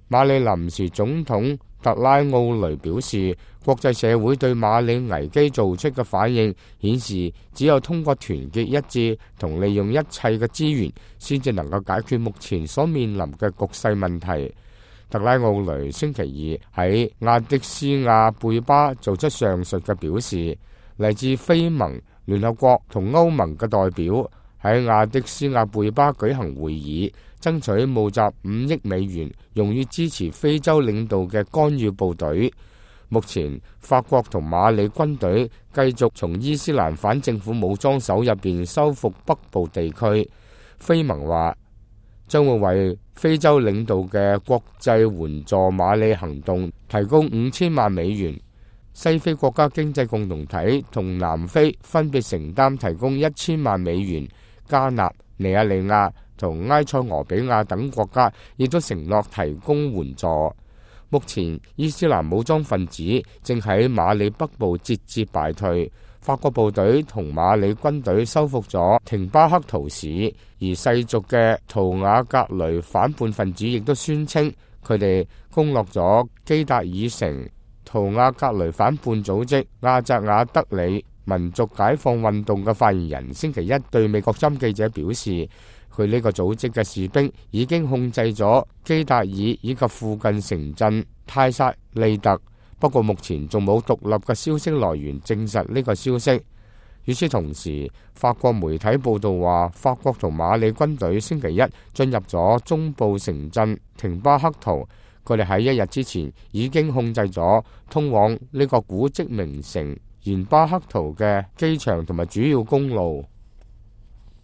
馬里臨時總統特拉奧雷表示，國際社會對馬里危機做出嘅反應顯示，只有通過團結一致同利用一切嘅資源，先至能夠解決目前所面臨嘅局勢問題。特拉奧雷星期二喺亞的斯亞貝巴做出上述嘅表示，嚟自非盟、聯合國同歐盟嘅代表喺亞的斯亞貝巴舉行會議，爭取募集5億美元用於支持非洲領導嘅干預部隊。目前法國同馬里軍隊繼續從伊斯蘭反政府武裝手入邊收復北部地區。非盟話將會為非洲領導嘅國際援助馬里行動提供5000萬美元。西非國家經濟共同體同南非分別承擔提供1000萬美元，加納、尼亞利亞同埃塞俄比亞等國家亦都承諾提供援助。目前伊斯蘭武裝分子正喺馬里北部節節敗退，法國部隊同馬里軍隊收復咗廷巴克圖市，而世俗嘅圖瓦格雷反叛分子亦都宣稱佢哋攻落咗基達爾城。圖瓦格雷反叛組織亞扎瓦德里民族解放運動嘅發言人星期一對美國針記者表示，佢呢個組織嘅士兵已經控制咗基達爾以及附近城鎮泰薩利特，不過目前仲冇獨立嘅消息來源證實呢個消息。與此同時，法國媒體報道話，法國同馬里軍隊星期一進入咗中部城鎮廷巴克圖，佢哋喺1日之前已經控制咗通往呢個古蹟名城延巴克圖嘅機場同埋主要公路。